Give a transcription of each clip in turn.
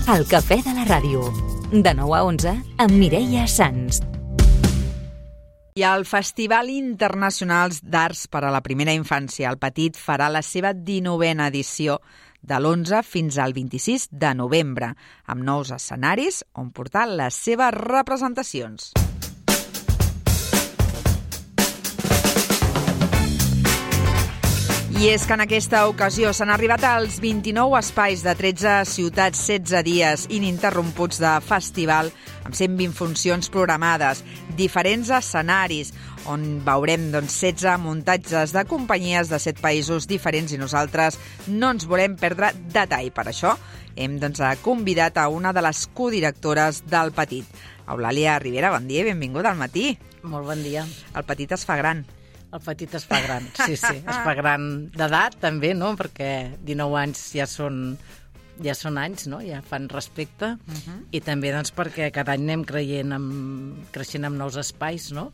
El cafè de la ràdio. De 9 a 11 amb Mireia Sans. I el Festival Internacional d'Arts per a la Primera Infància, el Petit, farà la seva 19a edició de l'11 fins al 26 de novembre, amb nous escenaris on portar les seves representacions. I és que en aquesta ocasió s'han arribat als 29 espais de 13 ciutats, 16 dies ininterromputs de festival, amb 120 funcions programades, diferents escenaris, on veurem 16 muntatges de companyies de 7 països diferents i nosaltres no ens volem perdre detall. Per això hem convidat a una de les codirectores del Petit. Eulàlia Rivera, bon dia i benvinguda al matí. Molt bon dia. El Petit es fa gran. El Petit es fa gran, sí, es fa gran d'edat també, no? Perquè 19 anys ja són anys, no? Ja fan respecte. I també doncs, perquè cada any anem creixent amb nous espais, no?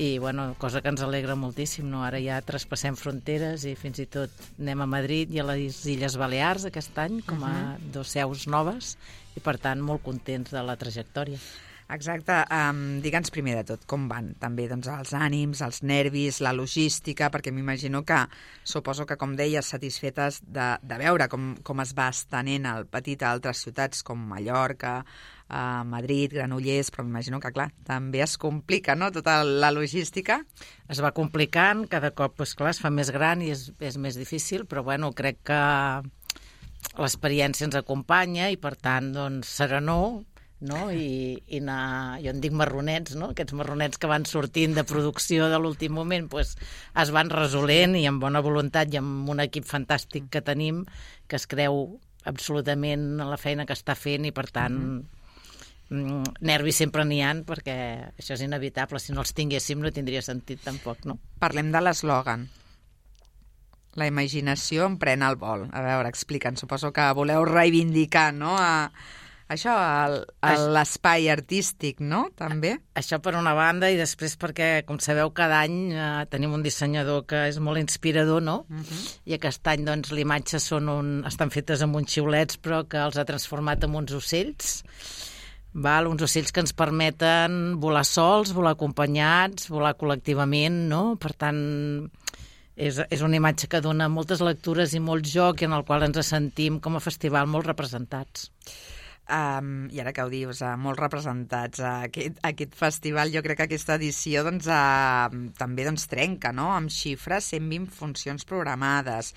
I, bueno, cosa que ens alegra moltíssim, no? Ara ja traspassem fronteres i fins i tot anem a Madrid i a les Illes Balears aquest any com a 2 seus noves i, per tant, molt contents de la trajectòria. Exacte. Digue'ns primer de tot com van també els ànims, els nervis, la logística, perquè m'imagino que, suposo que, com deies, satisfetes de veure com es va estenent el Petit a altres ciutats com Mallorca, Madrid, Granollers, però m'imagino que, clar, també es complica, no?, tota la logística. Es va complicant, cada cop, doncs, clar, es fa més gran i és més difícil, però, bueno, crec que l'experiència ens acompanya i, per tant, doncs, serenor, no? I anar, jo en dic marronets, no? Aquests marronets que van sortint de producció de l'últim moment pues, es van resolent i amb bona voluntat i amb un equip fantàstic que tenim que es creu absolutament en la feina que està fent i per tant nervis sempre n'hi ha perquè això és inevitable, si no els tinguéssim no tindria sentit tampoc, no? Parlem de l'eslògan. La imaginació em pren el vol. A veure, explica'ns, suposo que voleu reivindicar, no?, això, l'espai artístic, no?, també? Això per una banda, i després perquè, com sabeu, cada any tenim un dissenyador que és molt inspirador, no? I aquest any, doncs, les imatges estan fetes amb uns xiulets, però que els ha transformat en uns ocells, uns ocells que ens permeten volar sols, volar acompanyats, volar col·lectivament, no? Per tant, és una imatge que dona moltes lectures i molt joc i en el qual ens sentim com a festival molt representats. I ara que ho dius, molt representats a aquest festival, jo crec que aquesta edició també trenca, no?, amb xifres, 120 funcions programades,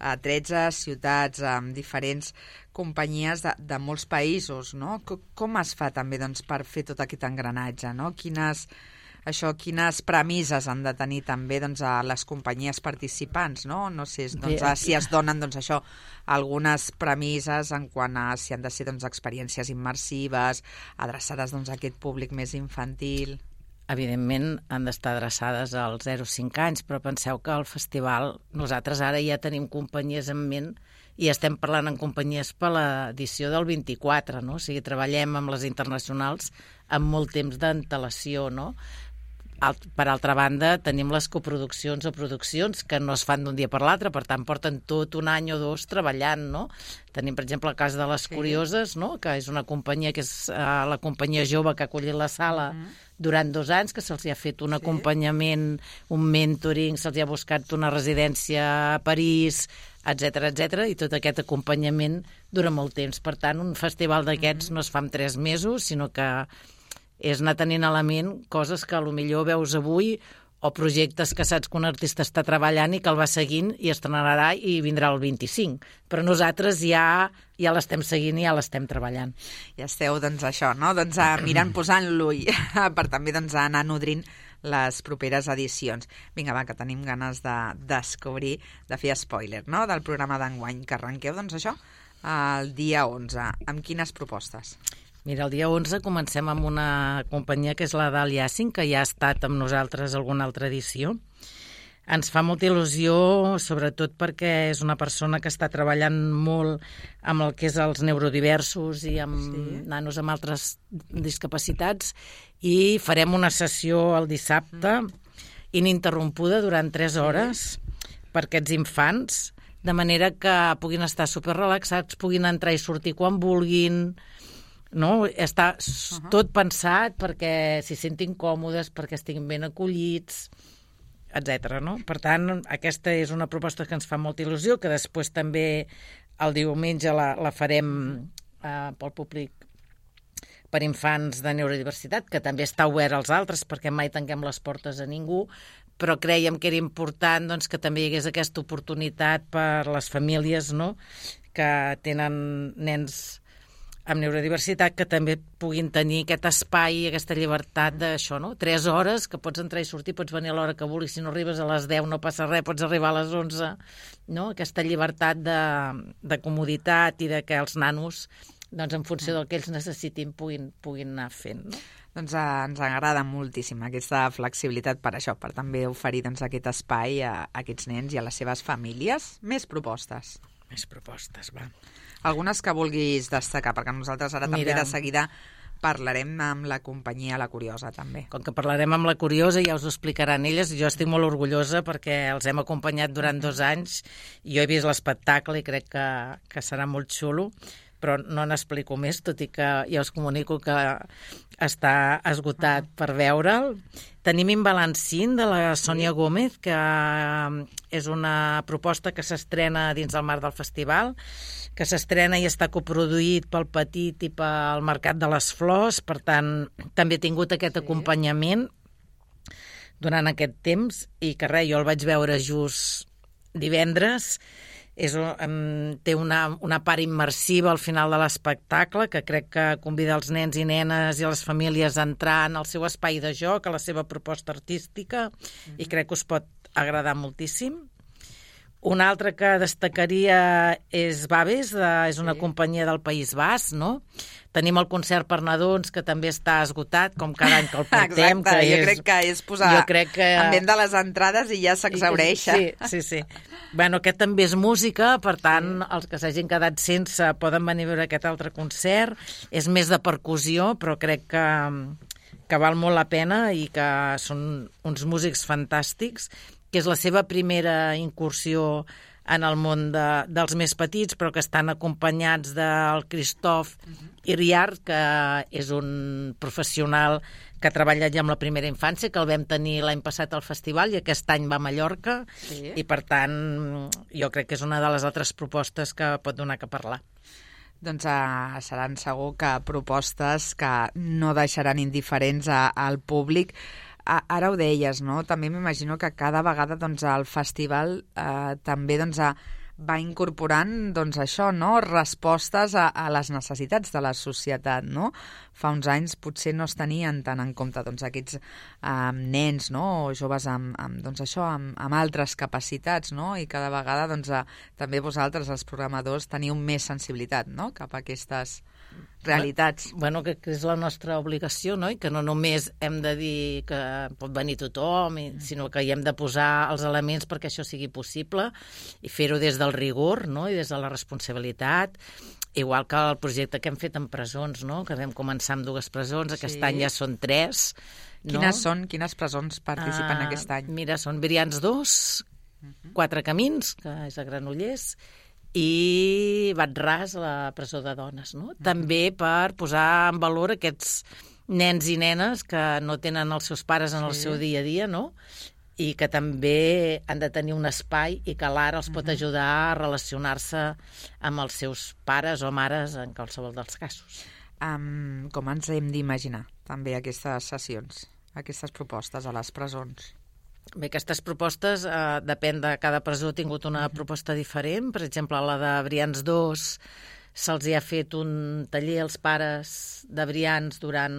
13 ciutats, amb diferents companyies de molts països, no? Com es fa també per fer tot aquest engranatge, no? Quines premisses han de tenir també a les companyies participants, no? No sé si es donen algunes premisses en quant a si han de ser experiències immersives, adreçades a aquest públic més infantil. Evidentment han d'estar adreçades als 0-5 anys, però penseu que al festival nosaltres ara ja tenim companyies en ment i estem parlant en companyies per l'edició del 24, no? O sigui, treballem amb les internacionals amb molt temps d'antelació, no? Per altra banda, tenim les coproduccions o produccions que no es fan d'un dia per l'altre, per tant, porten tot un any o 2 treballant, no? Tenim, per exemple, el cas de Les Curioses, no?, que és una companyia que és la companyia jove que ha acollit la sala durant 2 anys, que se'ls ha fet un acompanyament, un mentoring, se'ls ha buscat una residència a París, etc, i tot aquest acompanyament dura molt temps. Per tant, un festival d'aquests no es fa en 3 mesos, sinó que és anar tenint a la ment coses que potser veus avui o projectes que saps que un artista està treballant i que el va seguint i estrenarà i vindrà el 25. Però nosaltres ja l'estem seguint i ja l'estem treballant. Ja esteu, això, no? Mirant, posant l'ull per també anar nodrint les properes edicions. Vinga, va, que tenim ganes de descobrir, de fer spoiler, no?, del programa d'enguany, que arrenqueu, això, el dia 11. Amb quines propostes? Mira, el dia 11 comencem amb una companyia que és la Dàlia Yassin, que ja ha estat amb nosaltres alguna altra edició. Ens fa molta il·lusió, sobretot perquè és una persona que està treballant molt amb el que és els neurodiversos i amb nanos amb altres discapacitats i farem una sessió el dissabte ininterrompuda durant 3 hores per aquests infants de manera que puguin estar superrelaxats, puguin entrar i sortir quan vulguin, no? Està tot pensat perquè s'hi sentin còmodes, perquè estiguin ben acollits, etc. No? Per tant, aquesta és una proposta que ens fa molta il·lusió, que després també el diumenge la farem pel públic per infants de neurodiversitat, que també està obert als altres, perquè mai tanquem les portes a ningú, però creiem que era important doncs, que també hi hagués aquesta oportunitat per les famílies, no?, que tenen nens amb neurodiversitat, que també puguin tenir aquest espai, aquesta llibertat d'això, no? 3 hores, que pots entrar i sortir, pots venir a l'hora que vulguis, si no arribes a les 10 no passa res, pots arribar a les 11, no? Aquesta llibertat de comoditat i de que els nanos, doncs, en funció del que ells necessitin, puguin anar fent, no? Doncs ens agrada moltíssim aquesta flexibilitat per això, per també oferir doncs, aquest espai a aquests nens i a les seves famílies. Més propostes. Més propostes, va. Algunes que vulguis destacar, perquè nosaltres ara també de seguida parlarem amb la companyia La Curiosa, també. Com que parlarem amb La Curiosa, ja us ho explicaran elles. Jo estic molt orgullosa perquè els hem acompanyat durant 2 anys. Jo he vist l'espectacle i crec que serà molt xulo, però no n'explico més, tot i que ja us comunico que està esgotat per veure'l. Tenim Imbalancín, de la Sònia Gómez, que és una proposta que s'estrena dins del marc del festival, que s'estrena i està coproduït pel Petit i pel Mercat de les Flors, per tant, també he tingut aquest acompanyament durant aquest temps, i que res, jo el vaig veure just divendres. Té una part immersiva al final de l'espectacle, que crec que convida els nens i nenes i les famílies a entrar en el seu espai de joc, a la seva proposta artística, i crec que us pot agradar moltíssim. Una altra que destacaria és Baves, és una companyia del País Basc, no? Tenim el concert per nadons, que també està esgotat, com cada any que el portem. Exacte, jo crec que és posar en venda les entrades i ja s'exhaureix. Sí. Bueno, aquest també és música, per tant, els que s'hagin quedat sense poden venir a veure aquest altre concert. És més de percussió, però crec que val molt la pena i que són uns músics fantàstics, que és la seva primera incursió en el món dels més petits, però que estan acompanyats del Christophe Iriart, que és un professional que ha treballat ja amb la primera infància, que el vam tenir l'any passat al festival i aquest any va a Mallorca, i per tant jo crec que és una de les altres propostes que pot donar que parlar. Doncs seran segur que propostes que no deixaran indiferents al públic. Ara ho deies, no? També m'imagino que cada vegada doncs, el festival també doncs, va incorporant doncs, això, no? Respostes a les necessitats de la societat, no? Fa uns anys potser no es tenien tant en compte doncs, aquests nens, no? O joves amb altres capacitats, no? I cada vegada doncs, també vosaltres, els programadors, teniu més sensibilitat, no? Cap a aquestes realitats. Bueno, que és la nostra obligació, no? I que no només hem de dir que pot venir tothom, sinó que hi hem de posar els elements perquè això sigui possible i fer-ho des del rigor, no? I des de la responsabilitat, igual que el projecte que hem fet en presons, no? Que vam començar amb 2 presons, aquest any ja són 3. No? Quines presons participen aquest any? Mira, són Brians 2, 4 Camins, que és a Granollers, i Bat-ras, la presó de dones, no? També per posar en valor aquests nens i nenes que no tenen els seus pares en el seu dia a dia, no? I que també han de tenir un espai i que l'art els pot ajudar a relacionar-se amb els seus pares o mares en qualsevol dels casos. Com ens hem d'imaginar també aquestes sessions, aquestes propostes a les presons? Bé, aquestes propostes, depèn de cada presó, ha tingut una proposta diferent. Per exemple, a la de Brians 2 se'ls ha fet un taller als pares de Brians durant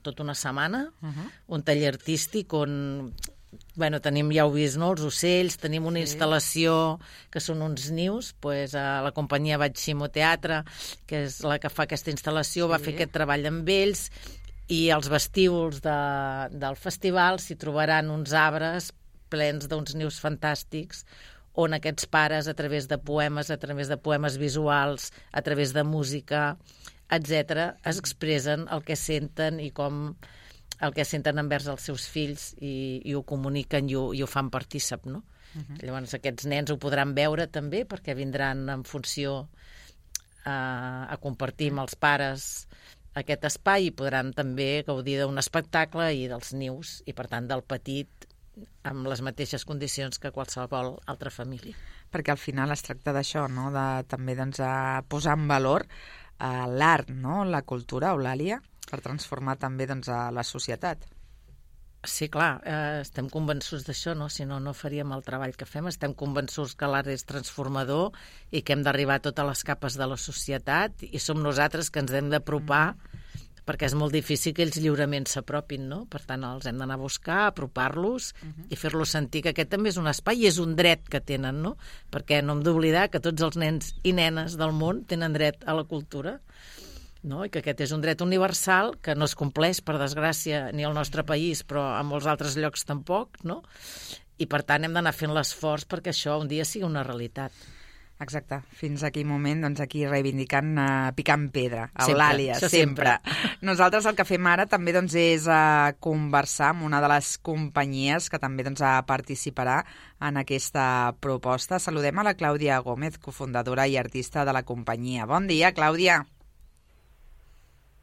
tota una setmana, un taller artístic on tenim, ja heu vist, no? Els ocells, tenim una instal·lació que són uns nius, a la companyia Batximo Teatre, que és la que fa aquesta instal·lació, va fer aquest treball amb ells. I als vestíbuls del festival s'hi trobaran uns arbres plens d'uns nius fantàstics on aquests pares, a través de poemes visuals, a través de música, etc., es expressen el que senten i com el que senten envers els seus fills i ho comuniquen i ho fan partícip, no? Llavors aquests nens ho podran veure també perquè vindran en funció a compartir amb els pares aquest espai i podran també gaudir d'un espectacle i dels nius i per tant del petit amb les mateixes condicions que qualsevol altra família. Perquè al final es tracta d'això, no? De també posar en valor l'art, no? La cultura, Eulàlia, per transformar també a la societat. Sí, clar, estem convençuts d'això, no? Si no, no faríem el treball que fem. Estem convençuts que l'art és transformador i que hem d'arribar a totes les capes de la societat i som nosaltres que ens hem d'apropar perquè és molt difícil que ells lliurement s'apropin, no? Per tant, els hem d'anar a buscar, apropar-los i fer-los sentir que aquest també és un espai i és un dret que tenen, no? Perquè no hem d'oblidar que tots els nens i nenes del món tenen dret a la cultura, no? I que aquest és un dret universal que no es compleix, per desgràcia, ni al nostre país, però a molts altres llocs tampoc, no? I per tant hem d'anar fent l'esforç perquè això un dia sigui una realitat. Exacte. Fins aquell moment, aquí reivindicant picant pedra. Eulàlia, sempre. Nosaltres el que fem ara també és conversar amb una de les companyies que també participarà en aquesta proposta. Saludem a la Clàudia Gómez, cofundadora i artista de la companyia. Bon dia, Clàudia.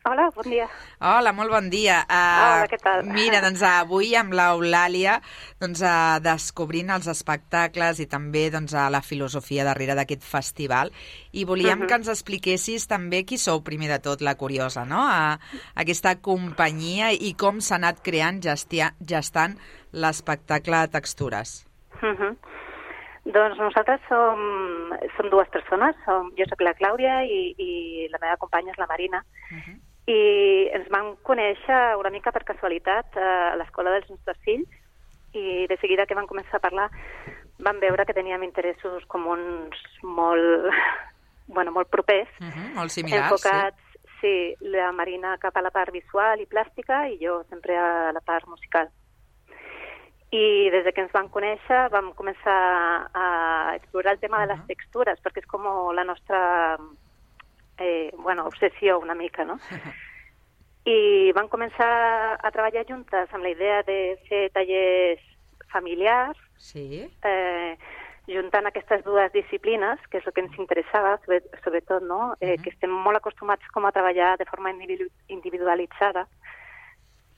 Hola, bon dia. Hola, molt bon dia. Hola, què tal? Mira, avui amb l'Eulàlia descobrint els espectacles i també la filosofia darrere d'aquest festival i volíem que ens expliquessis també qui sou primer de tot, la Curiosa, no? Aquesta companyia i com s'ha anat creant, gestant l'espectacle Textures. Doncs nosaltres som dues persones, jo soc la Clàudia i la meva companya és la Marina, i ens vam conèixer una mica per casualitat a l'escola dels nostres fills i de seguida que vam començar a parlar vam veure que teníem interessos comuns molt propers, molt similars, enfocats, sí, la Marina cap a la part visual i plàstica i jo sempre a la part musical. I des que ens vam conèixer vam començar a explorar el tema de les textures perquè és com la nostra obsessió una mica, no? I vam començar a treballar juntes amb la idea de fer tallers familiars, juntant aquestes dues disciplines, que és el que ens interessava, sobretot, no? Que estem molt acostumats com a treballar de forma individualitzada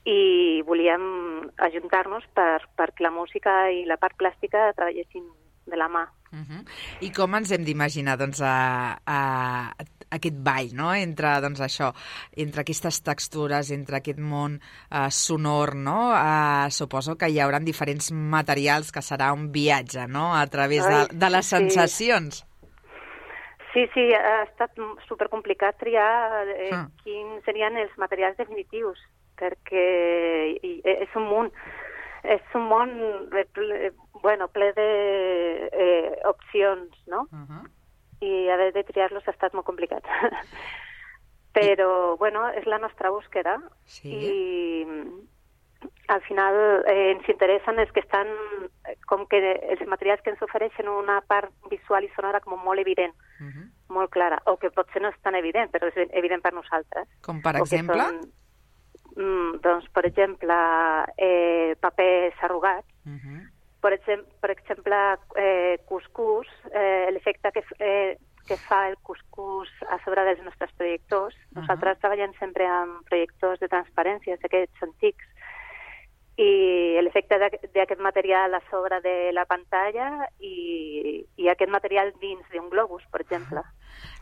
i volíem ajuntar-nos perquè la música i la part plàstica treballessin de la mà. I com ens hem d'imaginar aquest ball, no? Entre aquestes textures, entre aquest món sonor, no? Suposo que hi haurà diferents materials, que serà un viatge, no? A través de les sensacions. Sí, ha estat supercomplicat triar quins serien els materials definitius, perquè és un món ple d'opcions, no? I haver de triar-los ha estat molt complicat. Però, és la nostra búsqueda i al final ens interessen els que estan com que els materials que ens ofereixen una part visual i sonora com molt evident, molt clara, o que potser no és tan evident, però és evident per nosaltres. Com per exemple? Doncs, per exemple, papers arrugats, per exemple, cuscús, l'efecte que fa el cuscús a sobre dels nostres projectors. Nosaltres treballem sempre amb projectors de transparència, aquests antics, i l'efecte d'aquest material a sobre de la pantalla i aquest material dins d'un globus, per exemple.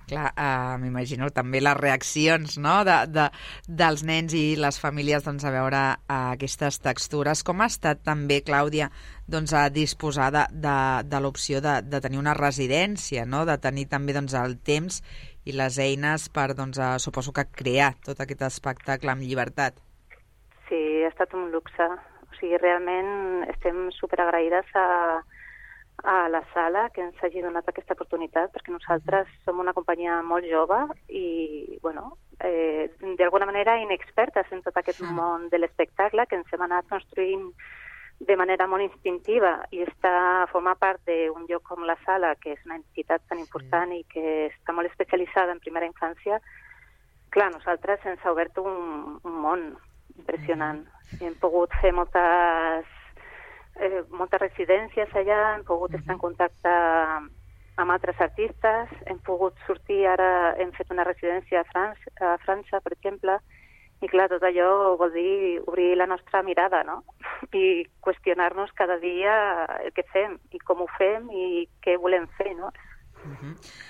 Clar, m'imagino també les reaccions, no?, dels nens i les famílies a veure aquestes textures. Com ha estat també, Clàudia, a disposar de l'opció de tenir una residència, no?, de tenir també el temps i les eines per, suposo que crear tot aquest espectacle amb llibertat? Sí, ha estat un luxe. O sigui, realment estem superagraïdes a la sala que ens hagi donat aquesta oportunitat, perquè nosaltres som una companyia molt jove i, d'alguna manera inexpertes en tot aquest món de l'espectacle que ens hem anat construint de manera molt instintiva i formar part d'un lloc com la sala, que és una entitat tan important i que està molt especialitzada en primera infància. Clar, nosaltres ens ha obert un món impressionant. Hem pogut fer moltes moltes residències allà, hem pogut estar en contacte amb altres artistes, hem pogut sortir, ara hem fet una residència a França, per exemple, i clar, tot allò vol dir obrir la nostra mirada, no? I qüestionar-nos cada dia el que fem i com ho fem i què volem fer, no?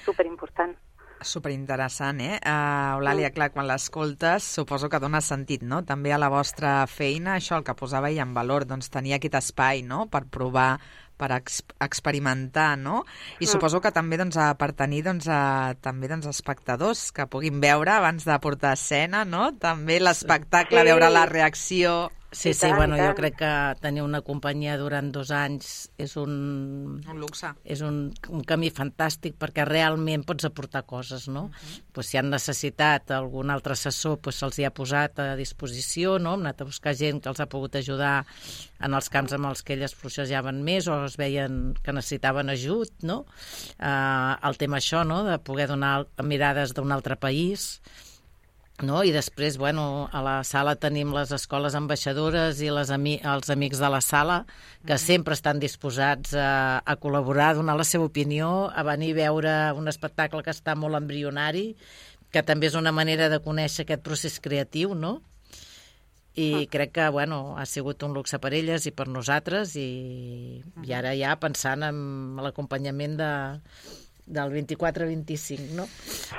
Superimportant. Superinteressant, Eulàlia, clar, quan l'escoltes suposo que dona sentit, no? També a la vostra feina, això el que posava ella en valor, doncs tenir aquest espai, no?, per provar, per experimentar, no? I suposo que també per tenir també espectadors que puguin veure abans de portar a escena, no? També l'espectacle, veure la reacció. Sí, bueno, jo crec que tenir una companyia durant 2 anys és un luxe. És un camí fantàstic perquè realment pots aportar coses, no? Pues si han necessitat algun altre assessor, pues se'ls hi ha posat a disposició, no? Hem anat a buscar gent que els ha pogut ajudar en els camps amb els que elles processaven més o es veien que necessitaven ajut, no? El tema això, no?, de poder donar mirades d'un altre país, no? I després, bueno, a la sala tenim les escoles ambaixadores i els amics de la sala que sempre estan disposats a col·laborar, a donar la seva opinió, a venir a veure un espectacle que està molt embrionari, que també és una manera de conèixer aquest procés creatiu, no? I crec que, bueno, ha sigut un luxe per elles i per nosaltres i ara ja pensant en l'acompanyament del 24-25, no?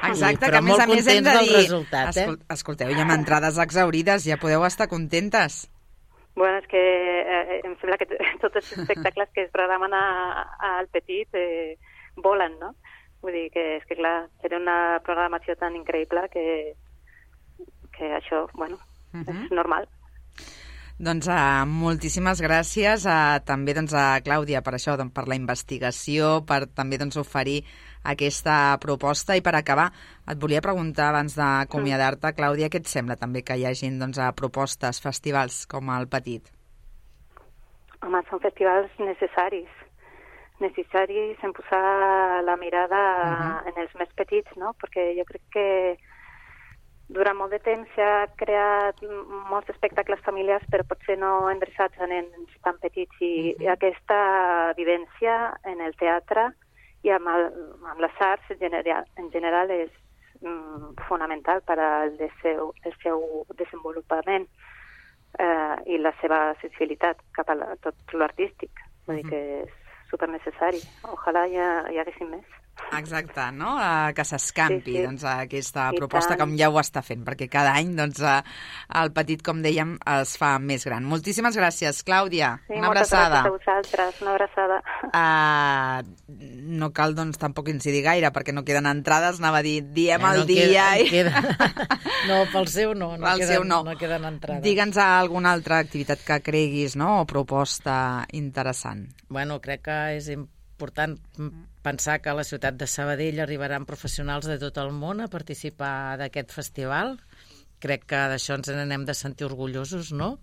Exacte, però que a més hem de dir... resultat, Escolteu, hi ha entrades exaurides, ja podeu estar contentes. Bueno, és que em sembla que tots els espectacles que es programen al Petit volen, no? Vull dir que és que, clar, seria una programació tan increïble que això, bueno, és normal. Doncs moltíssimes gràcies també a Clàudia per això, per la investigació, per també oferir aquesta proposta. I per acabar, et volia preguntar abans d'acomiadar-te, Clàudia, què et sembla també que hi hagi propostes, festivals com el Petit? Home, són festivals necessaris en posar la mirada en els més petits, no? Perquè jo crec que durant molt de temps s'ha creat molts espectacles familiars, però potser no endreçats a nens tan petits. I aquesta vivència en el teatre i amb les arts en general és fonamental per al seu desenvolupament i la seva sensibilitat cap a tot l'artístic. Vull dir que és supernecessari. Ojalà hi haguessin més. Exacte, no? Que s'escampi aquesta proposta com ja ho està fent, perquè cada any el Petit, com dèiem, es fa més gran. Moltíssimes gràcies, Clàudia. Una abraçada. Moltes gràcies a vosaltres. Una abraçada. No cal, tampoc incidir gaire, perquè no queden entrades, anava a dir, diem el dia... No, pel seu no. No queden entrades. Digue'ns alguna altra activitat que creguis, no?, o proposta interessant. Bueno, crec que és important pensar que a la ciutat de Sabadell arribaran professionals de tot el món a participar d'aquest festival. Crec que d'això ens n'hem de sentir orgullosos, no?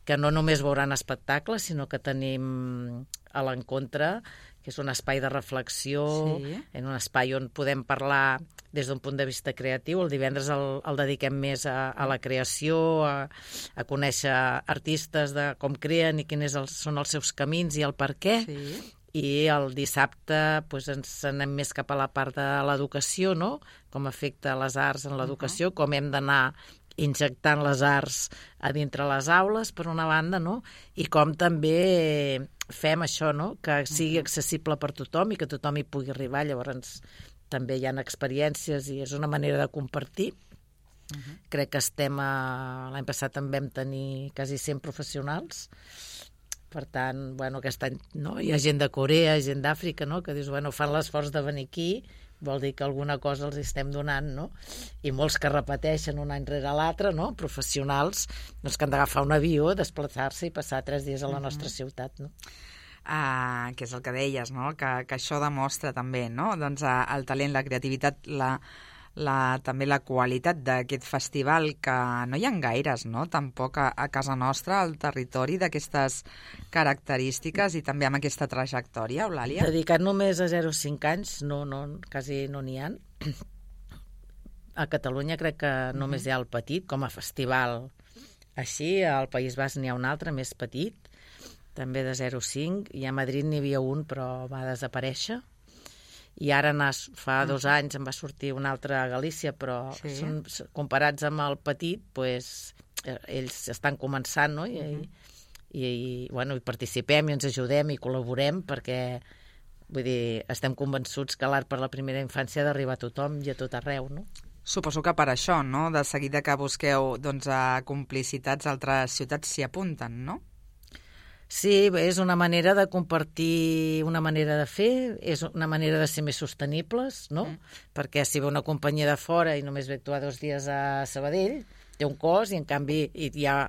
Que no només veuran espectacles, sinó que tenim a l'encontre, que és un espai de reflexió, en un espai on podem parlar des d'un punt de vista creatiu. El divendres el dediquem més a la creació, a conèixer artistes de com creen i quins són els seus camins i el per què. I el dissabte ens anem més cap a la part de l'educació, no? Com afecta les arts en l'educació, com hem d'anar injectant les arts a dintre les aules, per una banda, no? I com també fem això, no?, que sigui accessible per tothom i que tothom hi pugui arribar. Llavors també hi ha experiències i és una manera de compartir. Crec que l'any passat en vam tenir quasi 100 professionals. Per tant, aquest any hi ha gent de Corea, gent d'Àfrica, que dius, fan l'esforç de venir aquí, vol dir que alguna cosa els estem donant, no? I molts que repeteixen un any rere l'altre, no?, professionals, que han d'agafar un avió, desplaçar-se i passar 3 dies a la nostra ciutat, no? Que és el que deies, no?, que això demostra també, no?, el talent, la creativitat, també la qualitat d'aquest festival, que no hi ha gaires, no?, tampoc a casa nostra, al territori, d'aquestes característiques i també amb aquesta trajectòria, Eulàlia. Dedicat només a 0-5 anys, quasi no n'hi ha. A Catalunya crec que només hi ha el Petit, com a festival. Així, al País Basc n'hi ha un altre, més petit, també de 0,5, i a Madrid n'hi havia un, però va desaparèixer. I ara fa 2 anys em va sortir un altre a Galícia, però comparats amb el petit, doncs, ells estan començant, no? I participem i ens ajudem i col·laborem perquè, vull dir, estem convençuts que l'art per la primera infància ha d'arribar a tothom i a tot arreu, no? Suposo que per això, no? De seguida que busqueu complicitats, altres ciutats s'hi apunten, no? Sí, és una manera de compartir una manera de fer, és una manera de ser més sostenibles, no? Perquè si ve una companyia de fora i només ve actuar 2 dies a Sabadell, té un cost i en canvi hi ha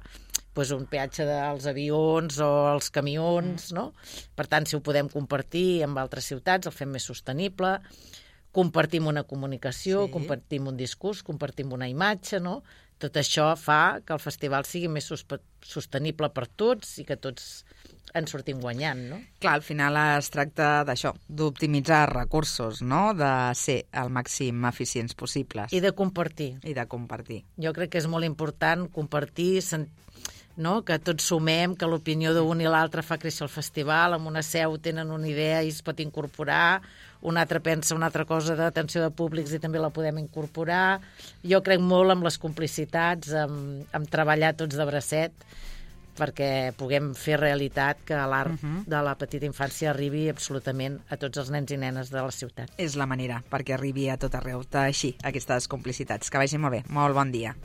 un peatge dels avions o els camions, no? Per tant, si ho podem compartir amb altres ciutats, el fem més sostenible, compartim una comunicació, compartim un discurs, compartim una imatge, no? Tot això fa que el festival sigui més sostenible per tots i que tots en sortim guanyant, no? Clar, al final es tracta d'això, d'optimitzar recursos, no? De ser el màxim eficients possibles. I de compartir. Jo crec que és molt important compartir, no? Que tots sumem, que l'opinió d'un i l'altre fa créixer el festival, amb una seu tenen una idea i es pot incorporar, un altre pensa una altra cosa d'atenció de públics i també la podem incorporar. Jo crec molt en les complicitats, en treballar tots de bracet, perquè puguem fer realitat que l'art de la petita infància arribi absolutament a tots els nens i nenes de la ciutat. És la manera perquè arribi a tot arreu, teixir aquestes complicitats. Que vagi molt bé. Molt bon dia.